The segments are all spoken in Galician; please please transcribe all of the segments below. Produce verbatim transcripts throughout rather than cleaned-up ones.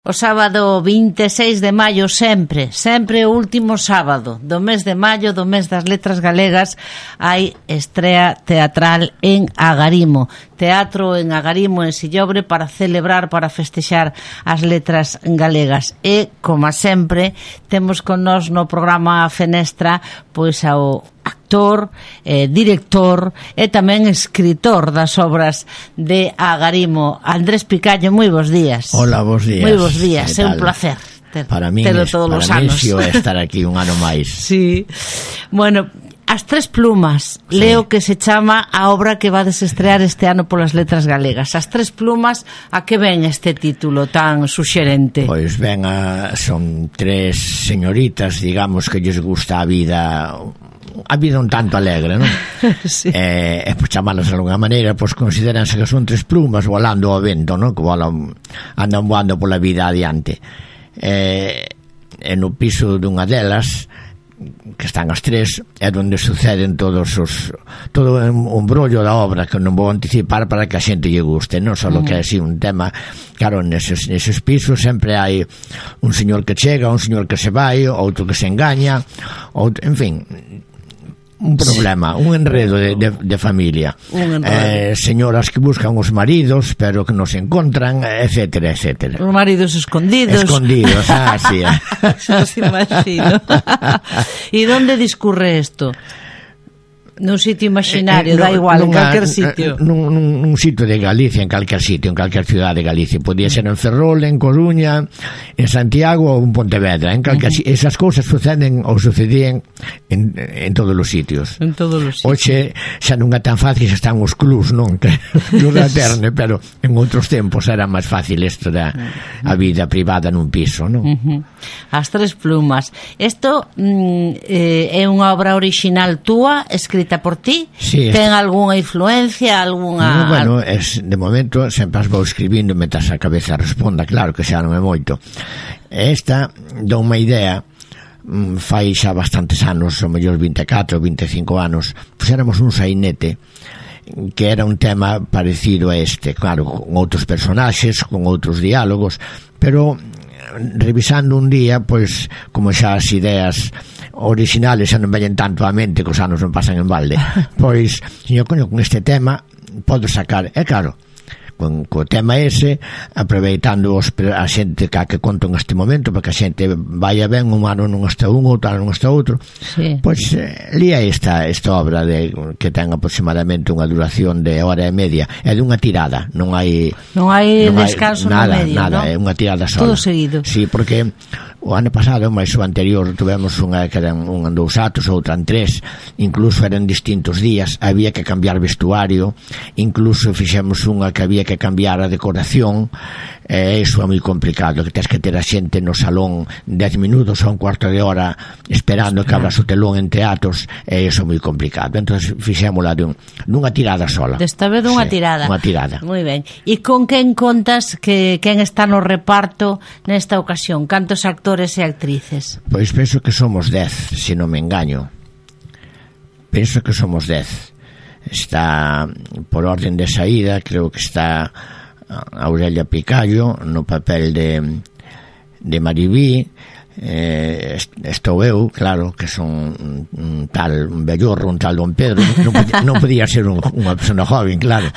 O sábado vinte e seis de maio sempre, sempre o último sábado do mes de maio, do mes das letras galegas, hai estrea teatral en Agarimo. Teatro en Agarimo, en Sillobre, para celebrar, para festexar as letras galegas. E, como sempre, temos con nós no programa Fenestra pois ao actor, eh, director e tamén escritor das obras de Agarimo. Andrés Picallo, moi bons días. Hola, bons días. Moi bons días, é un placer ter, para mí telo es, todos para os mí anos. Si é estar aquí un ano máis. Sí. Bueno, As Tres Plumas, sí. Leo que se chama a obra que vades estrear este ano polas letras galegas. As Tres Plumas, a que ven este título tan suxerente? Pois ben, a, son tres señoritas, digamos, que lles gusta a vida, a vida un tanto alegre, non? Sí. E, e pois chamalas de alguna maneira, pois consideranse que son tres plumas volando ao vento, non? Que volan, andan voando pola vida adiante. E, e no piso dunha delas, que están as tres, é onde suceden todos os todo un brollo da obra, que non vou anticipar para que a xente lle guste, non só uh-huh. que é así un tema. Claro, neses, neses pisos sempre hai un señor que chega, un señor que se vai, outro que se engaña, outro, en fin, un problema, un enredo de, de, de familia, eh, señoras que buscan os maridos pero que non se encontran, etcétera, etcétera. Os maridos escondidos escondidos, ah, sí. Xa os imagino. E onde discurre isto? Nun sitio imaginario, eh, eh, da igual, en calquer sitio. Nun, nun, nun sitio de Galicia, en calquer sitio, en calquer ciudad de Galicia. Podía ser en Ferrol, en Coruña, en Santiago ou en Pontevedra. En calquer, uh-huh. Esas cousas suceden ou sucedían en, en todos os sitios. En todos os sitios. Oxe, xa non é tan fácil, xa están os clubs, non? Que os da Terne, pero en outros tempos era máis fácil isto da a vida privada nun piso, non? Uh-huh. As Tres Plumas. Isto mm, eh, é unha obra orixinal túa, escrita por ti? Sí, ten algunha influencia, algunha... No, bueno, es, de momento sempre as vou escribindo mentras a cabeza responda, claro que xa non é moito. Esta dá unha idea, fai xa bastantes anos, o mellor vinte e catro, vinte e cinco anos, puxéramos un sainete que era un tema parecido a este, claro, con outros personaxes, con outros diálogos, pero revisando un día, pois, como xa as ideas originales xa non veñen tanto á mente, que os anos non pasan en balde, pois, señor, coño, con este tema podo sacar, é claro, con co tema ese, aproveitando os, a xente que, que conto neste momento, porque a xente vai a ben, un ano non está un, outro ano non está outro, sí. Pois eh, lía esta, esta obra de, que ten aproximadamente unha duración de hora e media, é dunha tirada, non hai non hai non descanso hai, nada, no medio, nada, ¿no? É unha tirada sola. Todo seguido. Sí, porque o ano pasado, máis o anterior, tuvemos unha que eran un en dous atos, outra en tres, incluso eran distintos días, había que cambiar vestuario, incluso fixemos unha que había que cambiar a decoración, e iso é moi complicado, que tens que ter a xente no salón dez minutos ou un cuarto de hora esperando que abras o telón en teatros, e iso é moi complicado. Entón fixémola dun, dunha tirada sola. Desta vez dunha sí, tirada. Unha tirada. Moi ben. E con quen contas, que quen está no reparto nesta ocasión? Cantos actores e actrices? Pois penso que somos dez, se non me engaño. Penso que somos dez. Está, por orden de saída, creo que está Aurelia Picallo no papel de de Maribí, eh, estou eu, claro, que son un, un tal un bellorro, un tal Don Pedro, non podía, non podía ser un, unha persona joven, claro.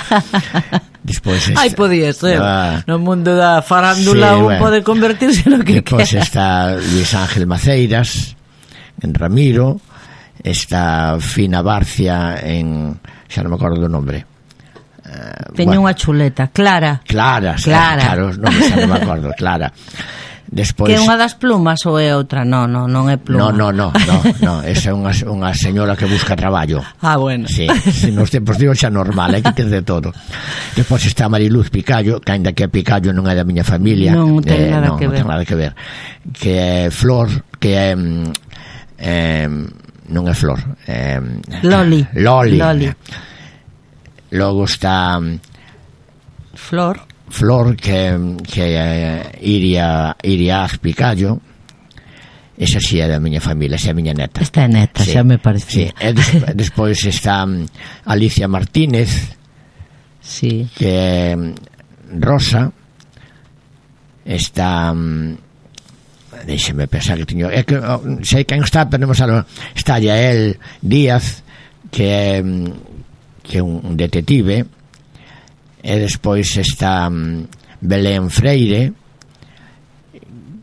Despois está, ai, podía ser, ah, no mundo da farándula, sí, un bueno, pode convertirse no que despois quera. Está Luis Ángel Maceiras en Ramiro, está Fina Barcia en, xa non me acordo do nombre. Uh, Teño bueno, unha chuleta, Clara. Clara, Clara. Claro, non, non me acordo, Clara. Despois, que é unha das plumas ou é outra? Non, non, non é pluma. Non, non, non, no, no, esa é unha, unha señora que busca traballo. Ah, bueno. Sí, sí, nos tempos de hoxe é normal, hai que ter de todo. Despois está Mariluz Picallo, que ainda que Picallo non é da miña familia. Non ten eh, nada non, que non ver. ten nada que ver. Que é Flor, que é... Eh, non é Flor. Eh, Loli. Loli. Loli. Logo está Flor Flor que, que é Iria Iria Picallo. Esa si é da miña familia, esa é a miña neta. Esta é neta, sí, xa me parecía, sí. E des, despois está Alicia Martínez, sí, que é Rosa, está um, deixeme pensar que teño é que oh, sei quen está, pero non sabe, está Yael Díaz, que é que é un detective, e despois está um, Belén Freire,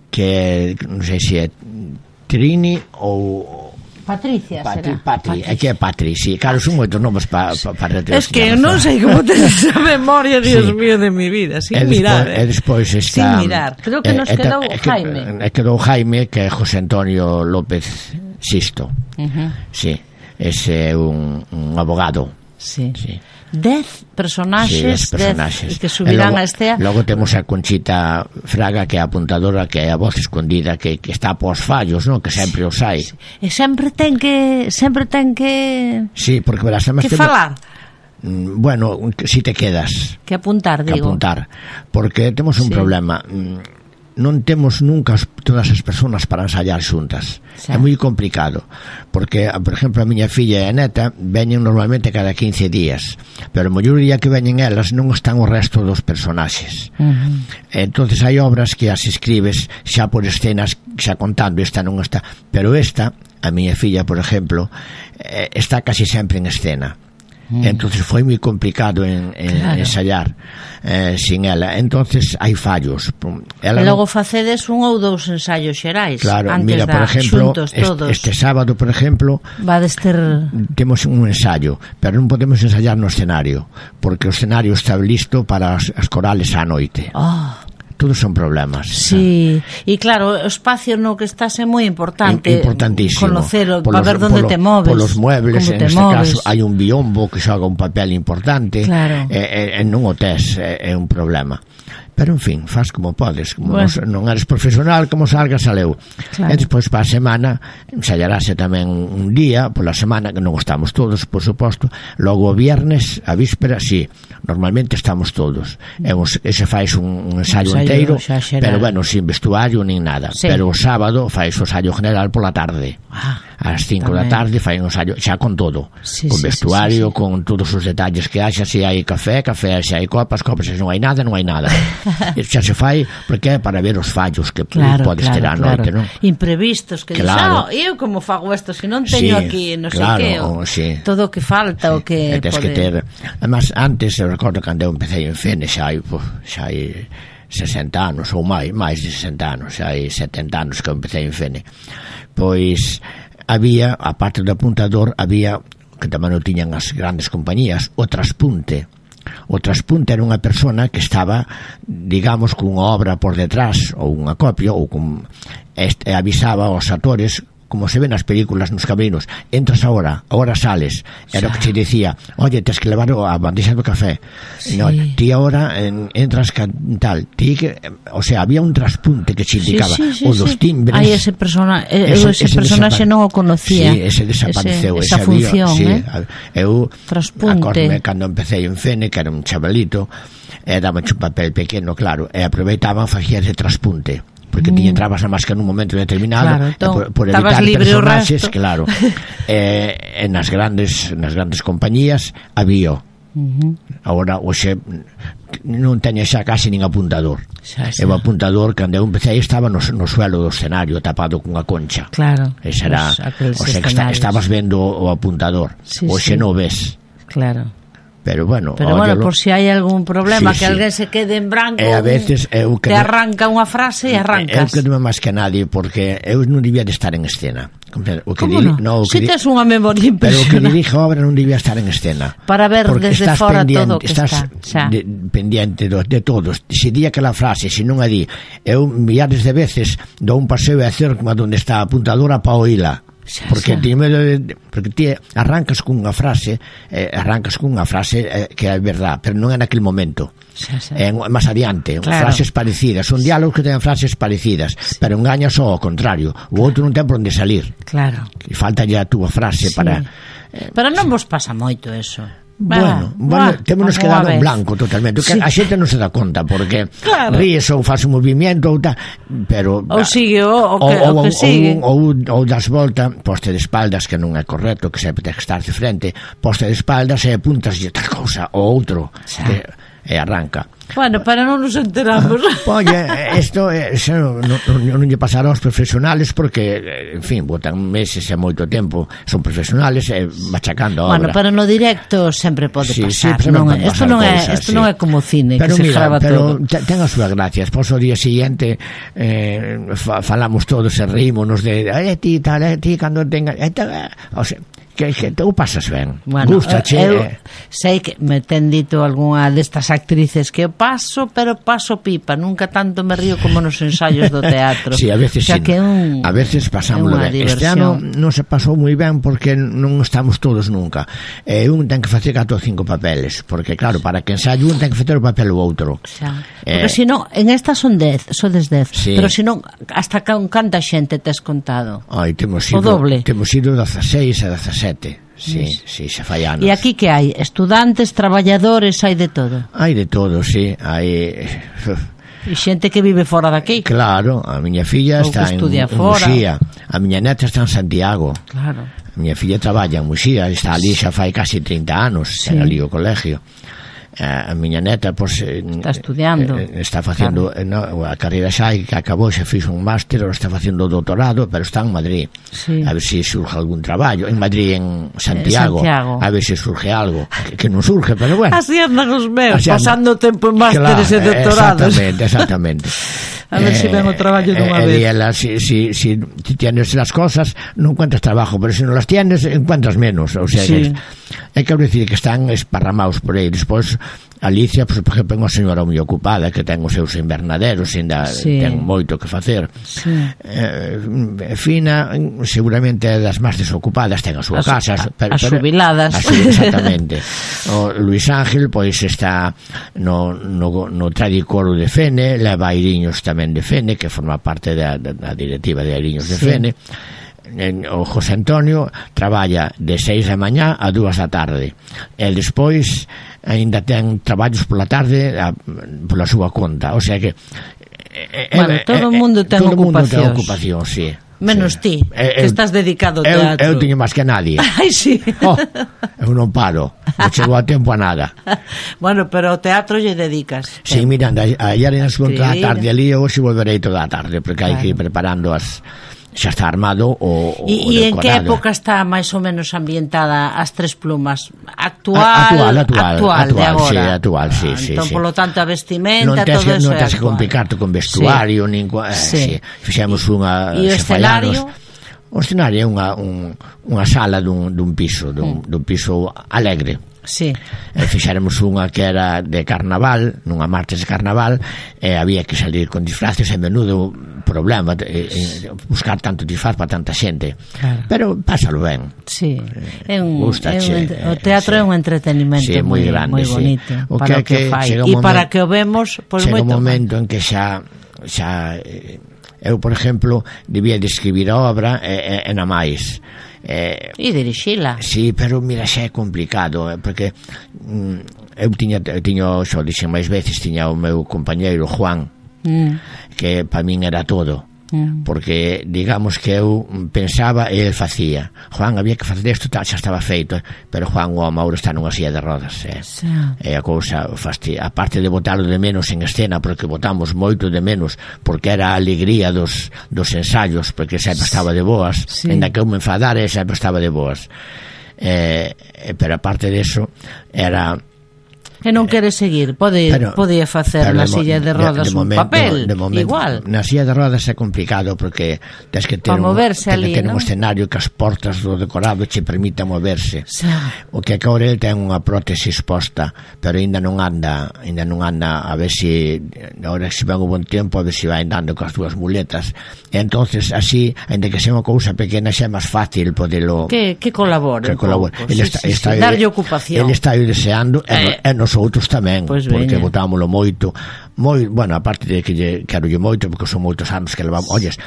que non sei se é Trini ou Patricia, Patri, será? Patri, é que é Patri, sí, claro, son moitos nomes para pa, pa es que non sei como tenes a memoria, Dios sí. mío, de mi vida, sin e mirar despois, eh. e despois está, sin mirar, creo que eh, nos quedou eh, Jaime e quedou Jaime, que é José Antonio López Sisto, uh-huh. sí, ese é un, un abogado, sí, sí. Dez personaxes, sí, personaxes. Dez, que subirán logo, a Estea. Logo temos a Conchita Fraga, que é a apuntadora, que é a voz escondida, que, que está pos fallos, ¿no? Que sempre os hai. Sí. E sempre ten que sempre ten que sí, porque verás, que temo... falar. Bueno, si te quedas. Que apuntar, digo. Que apuntar, porque temos un sí. problema. Non temos nunca todas as persoas para ensayar xuntas. Sí. É moi complicado, porque, por exemplo, a miña filla e a neta veñen normalmente cada quince días, pero o mellor día que veñen elas non están o resto dos personaxes. Uh-huh. Entonces hai obras que as escribes xa por escenas, xa contando, esta non está, pero esta, a miña filla, por exemplo, está casi sempre en escena. Mm. Entonces foi moi complicado en, en claro. ensayar eh, sin ela, entonces hai fallos. Ela e logo non... facedes un ou dous ensaios xerais. Claro, antes mira, por ejemplo, xuntos, este, este sábado, por ejemplo, vades ter... temos un ensayo, pero non podemos ensayar no escenario, porque o escenario está listo para as, as corales á noite. Oh. Todos son problemas. Sí, e claro, o espacio no que estás é moi importante. Importantísimo. Conocelo, para ver onde te moves. Polos muebles, en este moves. caso, hai un biombo que xoga un papel importante. Claro. E, e, e non o tes, é, é un problema. Pero, en fin, faz como podes. Como bueno. non, non eres profesional, como salga, saleu. Claro. E despois, para a semana, ensayarase tamén un día, pola semana, que non estamos todos, por suposto. Logo, o viernes, a víspera, sí, normalmente estamos todos. E ese fais un, un ensayo, ensayo inteiro, pero, bueno, sin vestuario, nin nada. Sí. Pero o sábado fais o ensayo general pola tarde. Ah. Ás cinco da tarde fai un ensayo xa con todo, sí, con vestuario, sí, sí, sí. con todos os detalles que haxa, se hai café, café, se hai copas, copas, se non hai nada, non hai nada. Xa se fai porque é para ver os fallos que claro, podes claro, ter á noite, claro. non? Imprevistos, que claro. dices, oh, eu como fago isto, se non teño sí, aquí, non claro, sei que, o, sí. todo o que falta, sí. o que tens que ter, además, antes, eu recordo cando eu empecé en Fene, xa hai, pues, xa hai sesenta anos ou máis, máis de sesenta anos, xa hai setenta anos que eu empecé en Fene, pois había, a parte do apuntador, había, que tamén o tiñan as grandes compañías, o traspunte. O traspunte era unha persona que estaba, digamos, cunha obra por detrás, ou unha copia, ou con, este, avisaba aos actores, como se ven nas películas nos caminos, entras agora, agora sales, era o que te dicía, oye, tens que levar a bandexa do café, sí. no, ti agora en, entras ca, tal, ti que, o sea, había un traspunte que te indicaba, sí, sí, sí, o dos timbres. Aí ese, persona, eh, ese, ese, ese personaxe non o conocía. Sí, ese desapareceu. Ese, esa ese función, había, sí, eh? Eu, traspunte. acordme, cando empecé en Fene, que era un chavalito, e daba un papel pequeno, claro, e aproveitaban, facía ese traspunte. Porque ti entrabas a máscara nun momento determinado, claro, entón, por, por evitar personaxes, claro. eh, en nas grandes nas grandes compañías había. Uh-huh. Agora hoxe non teño xa casi nin apuntador. Xa, xa. E o apuntador, cando eu empecé, estaba no, no suelo do escenario, tapado cunha concha. Claro. Esa era, o sea, que está, estabas vendo o apuntador. Sí, hoxe sí. non ves. Claro. Pero bueno, pero bueno, por si hai algún problema, sí, que sí. alguén se quede en branco, e a veces eu te arranca unha frase e arrancas. Eu que non máis que nadie, porque eu non debía de estar en escena. O que Como diri... non? No, si di... tes unha memoria impresionante. Pero o que dirige a obra non debía estar en escena. Para ver porque desde fora todo o que estás está. De, pendiente do, de todos. Se di aquela frase, se non a di, eu milhares de veces dou un paseo e a cerco onde está a apuntadora para oíla. Porque ti, porque ti arrancas cunha frase eh, arrancas cunha frase eh, que é verdad, pero non é naquele momento, xa, xa. É máis adiante, claro. Frases parecidas, son diálogos que ten frases parecidas, sí. Pero engaña só ao contrario, o outro non ten por onde salir, claro. E falta ya a túa frase, sí. Para eh, pero non vos pasa moito eso. Bueno, bueno, témonos quedado en blanco totalmente, sí. A xente non se dá conta porque claro. Ríes ou faz un movimento ou tal, pero ou sigue o, o, que, ou, o que sigue ou, ou, ou das volta, poste de espaldas, que non é correcto, que sempre ten que estar de frente, poste de espaldas e apuntas de tal cousa ou outro, que, e arranca. Bueno, pero non nos enteramos. Oye, isto non, non, non lle pasará aos profesionales porque, en fin, botan meses e moito tempo, son profesionales e machacando a obra. Bueno, pero no directo sempre pode sí, pasar. Sí, non, pasar isto non, cosas, é, isto sí. non é como cine, pero que mira, se grava pero todo. Pero ten as súas gracias. Pois o día siguiente eh, fa, falamos todos e rímonos de eh, ti, tal, eh, ti, cando tenga... Eh, tal, eh, o sea, que, que tú pasas ben, bueno, gustache. Eu eh. sei que me ten dito algunha destas actrices que eu paso, pero paso pipa, nunca tanto me río como nos ensaios do teatro. Sí, a veces o sea, sí, que un, a veces pasámoslo ben. Este ano non se pasou moi ben porque non estamos todos nunca. Eh, un ten que facer catro ou cinco papeles, porque claro, para que ensaio un ten que facer o papel o outro. O sea, porque eh, se non, en estas son dez, sodes dez, sí. Pero se non, hasta con canta xente tes contado? Ai, temos ido, o doble. Temos ido dezaseis e dezasete. Sí, sí, xa fai anos. E aquí que hai? Estudantes, traballadores, hai de todo? Hai de todo, sí. Hai... E xente que vive fora daqui? Claro, a miña filla Ou está en, en Muxía. A miña neta está en Santiago. Claro. A miña filla traballa en Muxía, está ali xa fai casi trinta anos, sí. Ten ali o colegio. A miña neta pois, está estudiando, eh, está facendo claro. no, a carreira xa que acabou, xa fixo un máster, ou está facendo o doutorado, pero está en Madrid, sí. A ver se si surge algún traballo en Madrid, en Santiago, Santiago. A ver se si surge algo que, que non surge, pero bueno, así andan os meus, así pasando tempo en másteres claro, e doutorados, exactamente, exactamente. A ver eh, si ven o traballo dunha eh, vez. Ela, si, si, si tienes las cosas, non encuentras trabajo, pero se non las tienes, encuentras menos. O sea, sí. É que decir que están esparramados por aí. Despois, Alicia, pues, por exemplo, é unha señora moi ocupada, que ten os seus invernaderos, ainda sí. Ten moito que facer. Sí. Eh, Fina, seguramente é das máis desocupadas, ten as súas as, casas. A, pero, as jubiladas. As, exactamente. O Luis Ángel, pois, está no, no, no Tradicoro de Fene, leva Airiños tamén de Fene, que forma parte da, da directiva de Airiños de sí. Fene. O José Antonio traballa de seis da mañá a dúas da tarde. E despois aínda ten traballos pola tarde a, pola súa conta. O sea que bueno, eh, todo o mundo ten todo ocupacións. Mundo ten ocupación, sí. Menos sí. ti, eh, que eu, estás dedicado ao teatro. Eu, eu teño máis que nadie. Ai, sí. Oh, eu non paro, non chego a tempo a nada. Bueno, pero ao teatro lle dedicas. Sí, eh. Miranda, ayer en as toda a tarde ali, hoxe volverei toda a tarde, porque hai claro. Que ir preparando as... xa está armado o, o e, e en que época está máis ou menos ambientada as Tres Plumas? Actual, actual, actual, actual, actual de agora. Sí, actual, sí, ah, sí, entón, sí. Polo tanto, a vestimenta, non todo eso non é tens que complicarte con vestuario, sí. Nin, eh, sí. Sí. Fixemos unha... E o escenario? O escenario é unha, un, unha sala dun, dun piso, dun, mm. dun piso alegre. Sí. E fixáramos unha que era de carnaval, nunha martes de carnaval, e había que salir con disfraces, e menudo problema e, e buscar tanto disfraz para tanta xente. Claro. Pero pásalo ben. Sí. É un, Gustache, é un, o teatro sí. É un entretenimento sí, moi grande, moi bonito, sí. O para que, que, que fai. E para que o vemos, pois pues, moito. Chega un momento en que xa xa eu, por exemplo, debía de escribir a obra e, e, e na máis. Eh, e dirixila. Sí, pero mira, xa é complicado, eh, porque mm, eu tiña, tiño, xo dixen máis veces, tiña o meu compañeiro Juan, mm. que para min era todo. Mm. Porque digamos que eu pensaba e el facía. Juan, había que facer isto, tal, xa estaba feito, pero Juan o Mauro está nunha silla de rodas, eh. Sí. E a cousa fasti... aparte de botarlo de menos en escena, porque botamos moito de menos, porque era a alegría dos, dos ensaios, porque sempre estaba de boas, sí. Ainda que eu me enfadara, sempre estaba de boas, eh, pero aparte de eso era... Que non quere seguir, pode pero, podía facer na silla de rodas de, de momento, un papel, de momento, igual. Na silla de rodas é complicado porque tens que ter, un, ali, que ter ¿no? un escenario que as portas do decorado che permita moverse. Sí. O que agora ele ten unha prótese exposta, pero ainda non anda, ainda non anda, a ver se agora se ven un bon tempo, a ver se vai andando coas dúas muletas. E entonces así, ainda que sea unha cousa pequena, xa é máis fácil podelo que que colabore, que colabore. Ele sí, está, sí, está, sí, darlle ocupación. Ele está aí deseando eh. e, e nos outros tamén, pues porque veña. Botámoslo moito, moi, bueno, aparte de que lle quero lle moito, porque son moitos anos que levamos, olles,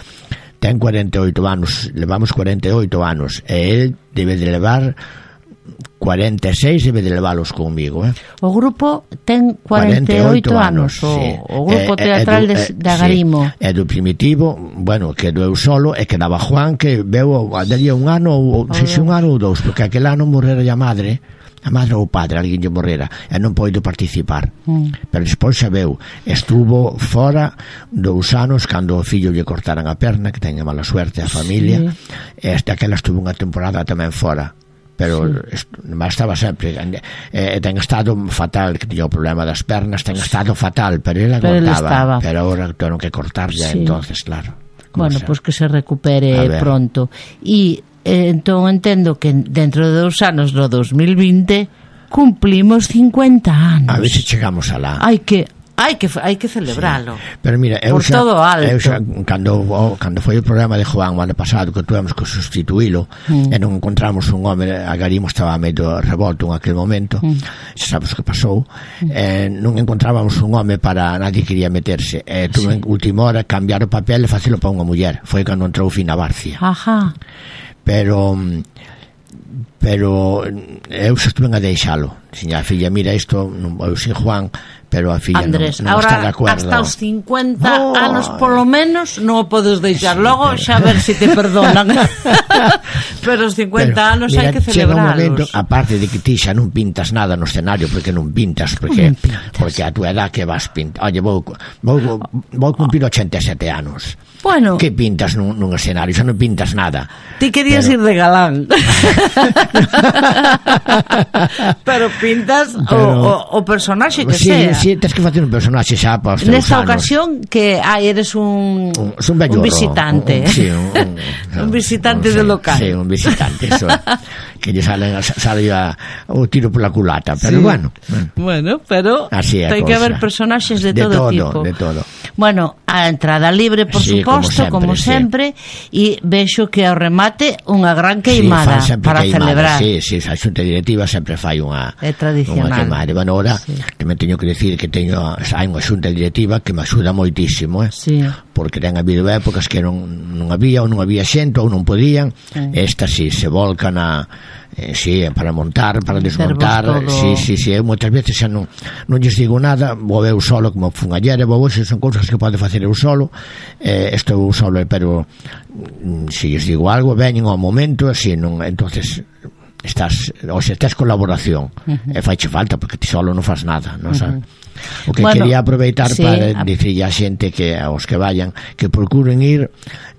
ten cuarenta e oito anos, levamos cuarenta e oito anos, e el debe de levar cuarenta e seis, debe de leválos conmigo, eh? O grupo ten cuarenta e oito anos, o, sí. O grupo eh, teatral eh, de, de Agarimo. Sí. É do Primitivo, bueno, que do eu solo, e que daba Juan, que veu daría un ano, ou, oh, se un ano ou dous, porque aquel ano morrera a madre, a madre ou o padre, alguén lle morrera e non poido participar, mm. pero despois xa veu, estuvo fora dous anos cando o fillo lle cortaran a perna, que teña mala suerte a familia, sí. e hasta que ela estuvo unha temporada tamén fora, pero sí. estaba sempre e eh, ten estado fatal, que tiña o problema das pernas, ten estado fatal, pero ela aguantaba, pero agora tuvieron que cortarlle, sí. entonces claro. Bueno, pois pues que se recupere pronto. E eh, entón entendo que dentro de dous anos, no dos mil vinte, cumplimos cincuenta anos. A ver se chegamos alá. Hai que hai que hai que celebralo. Sí. Pero mira, eu por xa, todo alto. Eu xa, cando oh, cando foi o programa de Joan o ano pasado, que tuvemos que sustituílo, mm. e non encontramos un home, Agarimo estaba medio revolto en aquel momento, mm. xa sabes que pasou, mm. eh, non encontrábamos un home para, nadie quería meterse, e eh, tuve sí. en última hora cambiar o papel e facelo para unha muller. Foi cando entrou Fina Barcia. Ajá. Pero pero eu xa estuve a deixalo. Siña, a filla, mira isto, eu sin Juan, pero a filla Andrés, non, non está de acordo. Hasta os cincuenta oh, anos polo menos non o podes deixar, sí, logo pero... xa ver se si te perdonan. Pero os cincuenta pero, anos hai que celebrarlos. Momento, aparte de que ti xa non pintas nada no escenario, porque non pintas, porque non pintas. Porque a tua edad que vas pintar. Oye, vou, vou, vou cumplir ochenta e sete anos. Bueno, que pintas nun, nun escenario? Xa non pintas nada. Ti querías pero... ir de galán. Pero pintas pero... O, o, o personaxe que sí, sea. Sí, tens que facer un personaxe xa para os teus nesta anos. Ocasión que ah, eres un un, un, un visitante. Un, un, sí, un, un, un visitante un, del local. Sí, un visitante, eso. Que lle sale, sale a, o tiro pola culata, pero sí. bueno, bueno. Bueno, pero ten que haber personaxes de, de todo, todo tipo. De todo. Bueno, a entrada libre, por sí, suposto, como sempre, e sí. vexo que ao remate unha gran queimada sí, para queimada, celebrar. Sí, sí, a xunta directiva sempre fai unha é tradicional. Unha queimada. Bueno, ahora sí. que me teño que decir que teño hai unha xunta directiva que me axuda moitísimo, eh? Sí. Porque ten habido épocas que non, non había ou non había xente ou non podían. Sí. Esta sí, se volcan a eh, sí, para montar, para desmontar, sí, sí, sí, eu moitas veces xa non non lles digo nada, vou eu solo como fun ayer, vou hoxe, son cousas que pode facer eu solo, eh, estou eu solo, pero se lles digo algo, veñen ao momento, así, non, entonces estás, ou se tes colaboración, uh-huh. e faiche falta, porque ti solo non faz nada, non sabes? Uh-huh. O que bueno, quería aproveitar sí, para a... dicirlle a xente que aos que vayan que procuren ir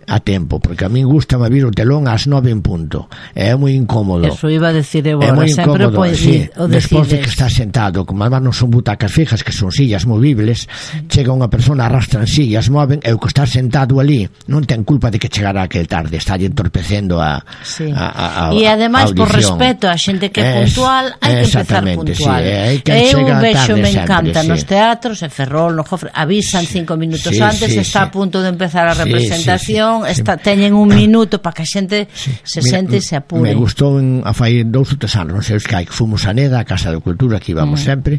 a tempo, porque a min gusta me vir o telón ás nove en punto, é moi incómodo. Eso iba a decir eu agora, é moi sempre incómodo, sí, despois de que estás sentado, como además non son butacas fijas, que son sillas movibles, sí. chega unha persona, arrastran sillas, moven, e o que estás sentado ali non ten culpa de que chegara aquel tarde, está entorpecendo a, sí. a, a, a e ademais por respeto a xente que é puntual, hai que empezar puntual. Sí, eu vexo, me encanta, sí. nos teatros, en Ferrol, no Jofre, avisan sí. cinco minutos sí, antes, sí, está sí. a punto de empezar a representación, sí, sí, sí. Está, teñen un minuto para que a xente sí. se Mira, sente e se apure. Me gustou en, a fai dous ou tres anos, non sei os que hai, que fomos a Neda, a Casa de Cultura, que íbamos mm. sempre,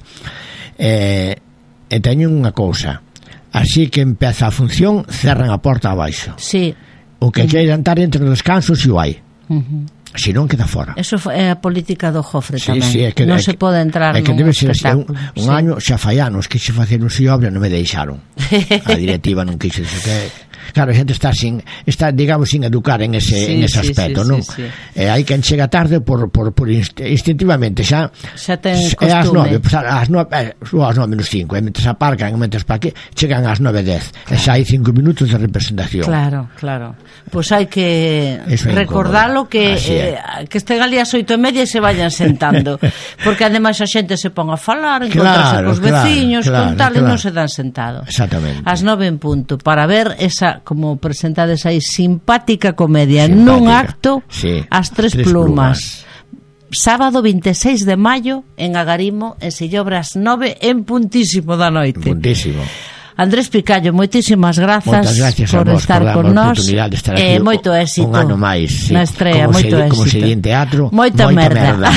e, e teñen unha cousa, así que empeza a función, cerran a porta abaixo. Sí. O que mm. queira entrar entre os descansos e o hai. Uh-huh. Se non queda fora. Eso é a política do Jofre sí, tamén. Sí, é que, non é se que, pode entrar é que nun debe ser espectáculo. Un, un sí. año xa fai anos que se facer un si obra non me deixaron. A directiva non quixo que claro, a xente está sin está digamos sin educar en ese sí, en ese sí, aspecto, sí, non? Sí, sí. E hai quen chega tarde por por por instintivamente xa xa ten costume. É ás nove, pues, ás nove, eh, ás nove menos cinco, e mentres aparcan, e mentres para aquí, chegan ás nove dez. Claro. E xa hai cinco minutos de representación. Claro, claro. Pois pues hai que recordalo que eh, que estén ali ás oito e media e se vayan sentando, porque ademais a xente se pon a falar, encontrarse claro, cos veciños, claro, con tal, claro. e non se dan sentado. Exactamente. Ás nove en punto, para ver esa, como presentades aí, simpática comedia simpática. Nun acto, sí. As tres, tres plumas. plumas. Sábado vinte e seis de maio en Agarimo, en Sillobras nove en puntísimo da noite. Puntísimo. Andrés Picallo, moitísimas grazas por estar por con nós e eh, moito éxito un ano máis, sí. Na estrea, como moito se, éxito como se di en teatro, moita, moita merda, merda.